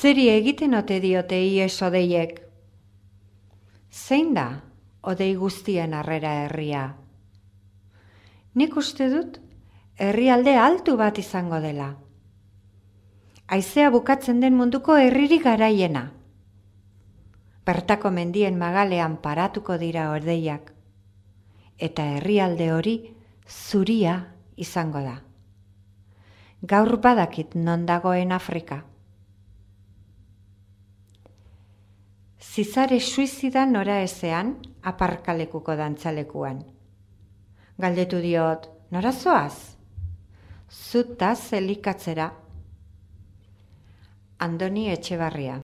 Zeri egiten ote diote ies odeiek? Zein da odei guztien harrera herria? Nik uste dut herrialde altu bat izango dela. Haizea bukatzen den munduko herririk garaiena. Bertako mendien magalean paratuko dira odeiak. Eta herrialde hori zuria izango da. Gaur badakit non dagoen Afrika. Zizare suizida nora ezean aparkalekuko dantzalekuan. Galdetu diot, nora zoaz? Zutaz elikatzera. Andoni Etxebarria.